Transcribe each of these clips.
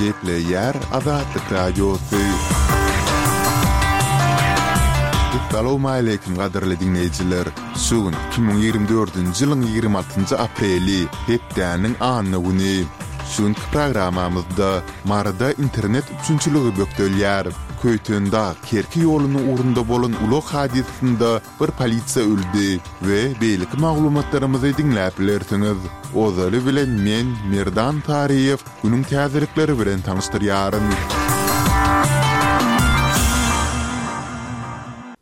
Gepleýär Azatlyk Radiosy. Essalawmaleýkim gadyrly diňleýjiler! Şu gün 2024-nji ýylyň 26-njy apreli, hepdäniň anna güni. Şu günki programmamyzda Maryda internet üpjünçiligi bökdelýär. Köýtendag, Kerki ýolunyň ugrunda bolan ulag hadysasynda bir polisiýa öldi we beýleki maglumatlarymyzy diňläp bilersiňiz. Ozaly bilen men, Merdan Taryýew, günüň täzelikleri bilen tanyşdyrýaryn.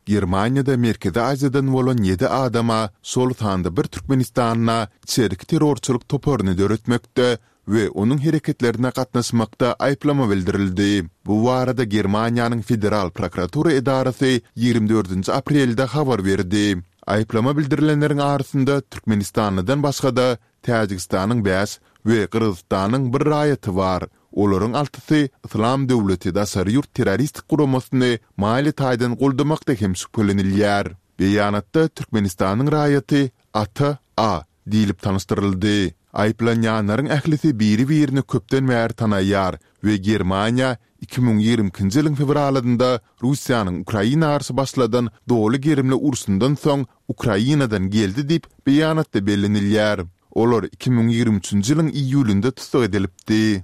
Germaniýada Merkezi Aziýadan bolan ýedi adama, şol sanda bir türkmenistanla içerki terrorçylyk toparyny döretmekde we onuň hereketlerine gatnaşmakda aýyplama bildirildi. Bu barada Germaniýanyň Federal prokuratura edarasy 24-nji aprelde habar berdi. Aýyplama bildirilenleriň arasynda türkmenistanlydan başga-da, Täjigistanyň bäş we Gyrgyzystanyň bir raýaty bar. Olaryň altysy Yslam döwleti daşary ýurt terroristik guramasyny maliýe taýdan goldamakda hem şübhelenilýär. Beýanatda Türkmenistanyň raýaty Ata A. diýlip tanyşdyryldy. Aýyplanýanlaryň ählisi biri-birini köpden bäri tanaýar we Germaniýa 2022-nji ýylyň fewralynda Russiýanyň Ukraina garşy başladan doly gerimli urşundan soň Ukrainadan geldi diýip, beýanatda bellenilýär. Olar 2023-nji ýylyň iýulynda tussag edilipdi.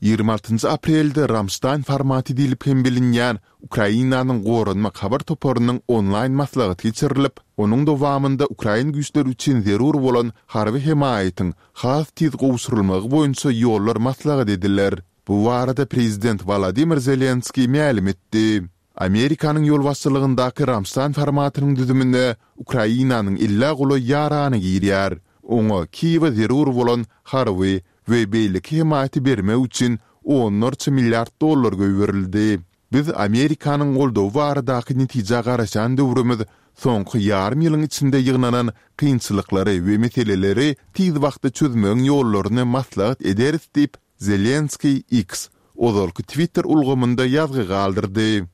26-njy aprelde Ramştaýn formaty diýlip hem bilinýän Ukrainanyň Goranmak habar toparynyň onlaýn maslahaty geçirilip, onuň dowamynda ukrain güýçleri üçin zerur bolan harby hemaýatyň has tiz gowşurylmagy boýunça ýollar maslahat ediler. Bu barada prezident Wolodymyr Zelenskiý mälim etdi. Amerikanyň ýolbaşçylygyndaky Ramştaýn formatynyň düzümine Ukrainanyň ellä golaý ýarany girýär. Oňa Kiýewe zerur bolan harby we beýleki hemaýaty bermek üçin onlarça milliard dollar goýberildi. Biz Amerikanyň goldawy baradaky netijä garaşýan döwrümiz soňky ýarym ýylyň içinde ýygnanan kynçylyklary we meseleleri tiz wagtda çözmegiň ýollaryny maslahat ederis diýip, Zelenskiý X, ozalky Twitter ulgamynda ýazgy galdyrdy.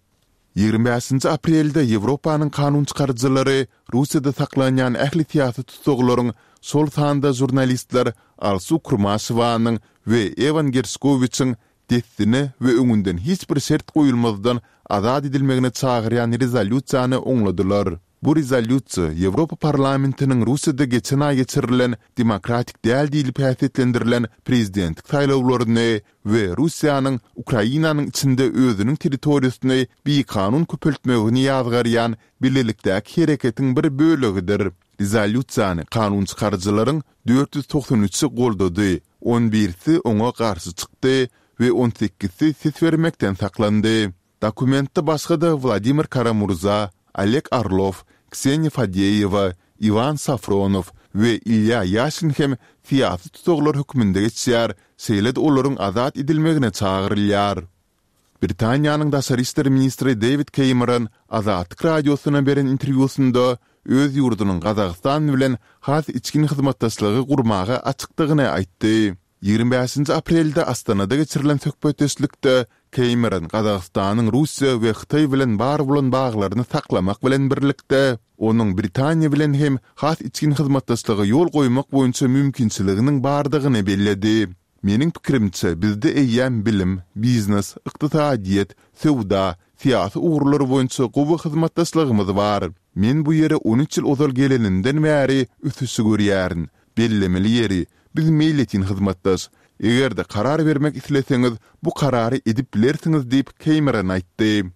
25-nji aprelde Ýewropanyň kanunçykaryjylary Russiýada saklanýan ähli syýasy tussaglaryň, şol sanda žurnalistler Alsu Kurmaşewanyň we Ewan Gerşkowiçiň dessine we öňünden hiç bir şert goýulmazdan azat edilmegine çagyrýan rezolýusiýany oňladylar. Bu rezolýusiýa Ýewropa Parlamentiniň Russiýada geçen aý geçirilen demokratik däl diýlip häsiýetlendirilen prezidentlik saýlawlaryny we Russiýanyň Ukrainanyň içinde özüniň territoriýasyny bikanun köpeltmegini ýazgarýan bilelikdäki hereketiň bir bölegidir. Rezolýusiýany kanunçykaryjylaryň 493-i goldady, on birisi oňa garşy çykdy we on sekizisi ses bermekden saklandy. Dokumentde başga-da Wladimir Kara-Murza, Oleg Orlow, Kseniýa Fadeýewa, Iwan Safronow we Ilýa Ýaşin hem syýasy tussaglar hökmünde geçýär, şeýle-de olaryň azat edilmegine çagyrylýar. Britaniýanyň daşary işler ministri Dewid Keýmeron Azatlyk Radiosyna beren interwýusynda öz ýurdunyň Gazagystan bilen has içgin hyzmatdaşlygy gurmaga açykdygyny aýtdy. 25-nji aprelde Astanada geçirilen söhbetdeşlikde Keýmeron Gazagystanyň Russiýa we Hytaý bilen bar bolan baglaryny saklamak bilen birlikde, onuň Britaniýa bilen hem has içgin hyzmatdaşlyga ýol goýmak boýunça mümkinçiliginiň bardygyny belledi. Meniň pikirimçe, bizde eýýäm bilim, biznes, ykdysadyýet, söwda, syýasy ugurlar boýunça gowy hyzmatdaşlygymyz bar. Men bu ýere on üç ýyl ozal gelenimden bäri ösüşi görýärin. Bellemeli ýeri, biz meýletin hyzmatdaş. Eger-de karar bermek isleseňiz, bu karary edip bilersiňiz diýip, Keýmeron aýtdy.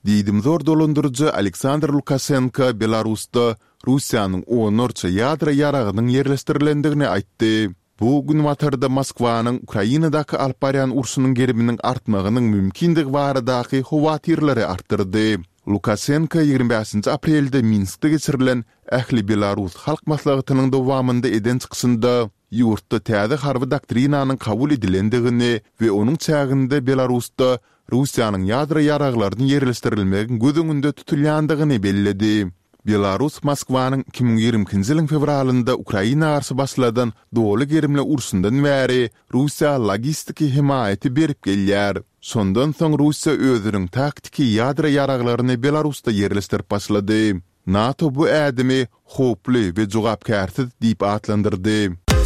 Diýdimzor dolandyryjy Aleksandr Lukaşenko Belarusda Russiýanyň onlarça ýadro ýaragynyň ýerleşdirilendigini aýtdy. Bu Günbatarda Moskwanyň Ukrainadaky alyp barýan urşunyň geriminiň artmagynyň mümkindigi baradaky howatyrlary artdyrdy. Lukaşenko 25-nji aprelde Minskde geçirilen Ähli belarus halk maslahatynyň dowamynda eden çykyşynda ýurtda täze harby doktrinanyň kabul edilendigini we onuň çäginde Belarusda Russiýanyň ýadro ýaraglaryny ýerleşdirilmegiň göz öňünde tutulýandygyny belledi. Belarus Moskwanyň 2022-nji ýylyň fewralynda Ukraina garşy başladan doly gerimli urşundan bäri Russiýa logistiki hemaýaty berip gelýär. Şondan soň Russiýa özüniň taktiki ýadro ýaraglaryny Belarusda ýerleşdirip başlady. NATO bu ädimi howply we jogapkärsiz diýip atlandyrdy.